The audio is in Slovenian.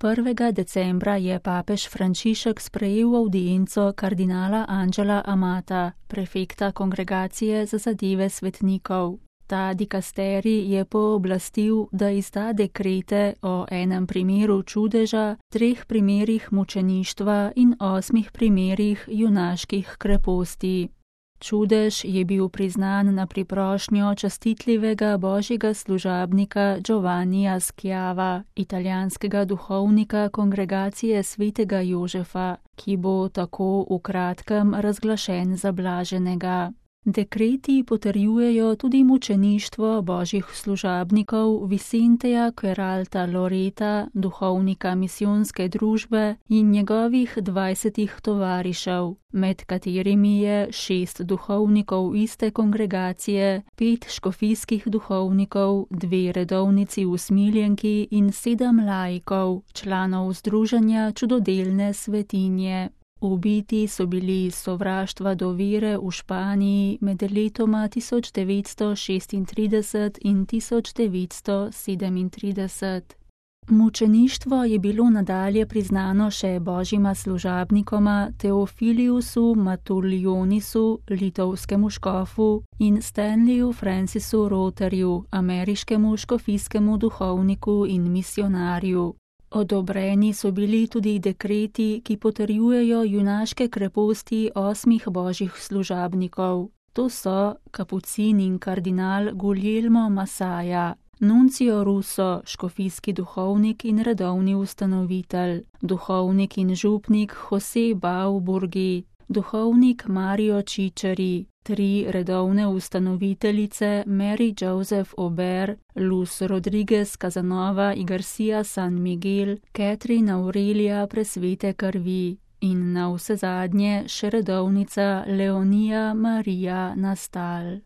1. decembra je papež Frančišek sprejel avdienco kardinala Angela Amata, prefekta Kongregacije za zadeve svetnikov. Ta dikasterij je pooblastil, da izda dekrete o enem primeru čudeža, 3 primerih mučeništva in 8 primerih junaških kreposti. Čudež je bil priznan na priprošnjo častitljivega božjega služabnika Giovannija Schiava, italijanskega duhovnika Kongregacije svetega Jožefa, ki bo tako v kratkem razglašen za blaženega. Dekreti potrjujejo tudi mučeništvo božjih služabnikov Vicenteja Queralta Loreta, duhovnika misijonske družbe in njegovih 20 tovarišev, med katerimi je 6 duhovnikov iste kongregacije, 5 škofijskih duhovnikov, 2 redovnici usmiljenki in 7 laikov, članov združenja čudodelne svetinje. Ubiti so bili iz sovraštva do vere v Španiji med letoma 1936 in 1937. Mučeništvo je bilo nadalje priznano še božjima služabnikoma Teofiliusu Matulionisu, litovskemu škofu, in Stanleyju Francisu Rotterju, ameriškemu škofijskemu duhovniku in misionarju. Odobreni so bili tudi dekreti, ki potrjujejo junaške kreposti 8 božjih služabnikov. To so kapucin in kardinal Guglielmo Massaia, Nuncio Russo, škofijski duhovnik in redovni ustanovitelj, duhovnik in župnik Jose Bauburgi, duhovnik Mario Ciceri, 3 redovne ustanoviteljice Mary Joseph Ober, Luz Rodriguez Casanova y Garcia San Miguel, Catherine Aurelia presvete krvi in navsezadnje še redovnica Leonija Marija Nastal.